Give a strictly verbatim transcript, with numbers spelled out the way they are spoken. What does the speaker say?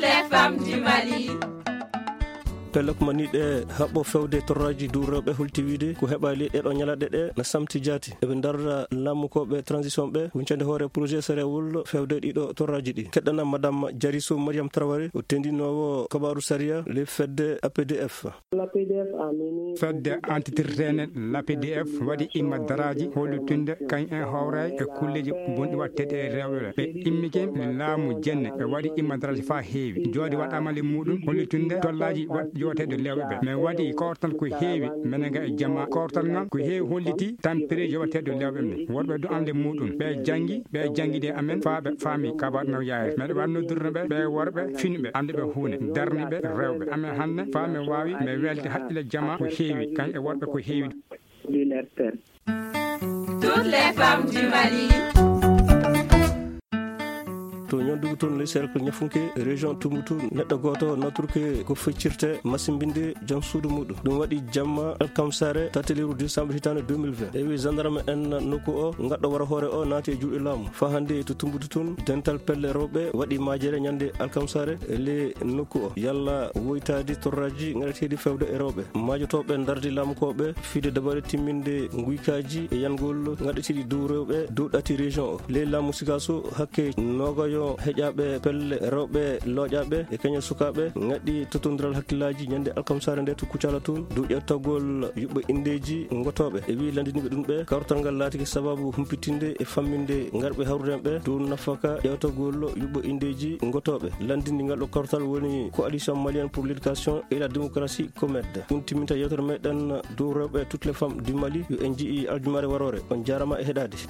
Les femmes du Mali. Pelle ko maniiɗe haɓɓo fewde torraaji dow rewɓe holti wiide ko heɓaali ɗeɗo ñalaɗe ɗe na samti jaati. Eɓe ndarda laamukooɓe transition ɓe, huncande hoore projet sarewol fewde ɗiɗo torraaji ɗi. Keɗɗana Madame Jariso Mariam Traoré, o tendinoowo kabaaru sariya le fedde A P D F. Fedde antitirtene l'A P D F waɗi imma daraaji hollitunde kañ en howray e kulleji bonɗi watteɗe e rewɓe ɓe. Ɓe immike laamu jenne ɓe waɗi imma daraaji fa heewi. Joodi waɗama le muɗum hollitunde tollaji wat-, yoteɗo lewɓe ɓe. Men waɗi kortal ko heewi menega e jama. Kortal ngal ko heewi holliti tampere yoteɗo lewɓe men. Worɓe do am le muɗum. Ɓe jangi, ɓe jangi de amen fa ɓe faami kabaɗ no yaayre. Meɗe wanno durno ɓe, ɓe worɓe finɓe, ande ɓe huune, darni ɓe rewɓe. Amen hanne fa men waawi, men welde haqqille jama ko heewi, kañ e worɓe ko heewi. Toutes les femmes du Mali. To ñondugu toon le cercle ñafunke région Tombouctou, neɗɗo gooto naturke ko feccirte masimbinde jom suudu muɗum. Ɗum waɗi jamma alkamsare tati lewru décembre hitaande deux mille vingt. Ewi gendarme en nokku o, ngaɗɗo wara hoore o naati e juuɗe laamu. Fa hannde to Tombouctou toon, dental pelle rewɓe waɗi maajere ñande alkamsare le nokku o. Yalla woytaade torraji ngaɗeteeɗi fewde e rewɓe. Maajotooɓe ndardi laamukooɓe fiide dabare timminde nguykaaji e yangol ngaɗeteeɗi dow rewɓe dow ɗati région o. Ley laamu Sikaso hakke noogayo heƴaaɓe pelle rewɓe looƴaaɓe e kañe sukaaɓe ngaɗi totondiral hakkillaaji ñande alkamsare nde to Kucala toon dow ƴeewtagol yuɓɓo indeeji ngotooɓe. E wi'i lanndiniiɓe ɗum ɓe, kawrital ngal laatike sababu humpitinde e famminde ngarɓe hawrude ɓe dow nafaka ƴeewtagol yuɓɓo indeeji ngotooɓe. Lanndini ngal ɗo kawrital woni Coalition Malienne pour l'Éducation et la Démocratie, COMED. Ɗum timminta yeewtere meɗen dow rewɓe, toutes les femmes du Mali. Yo en nji'i aljumaare waroore. On jaarama e heɗaade.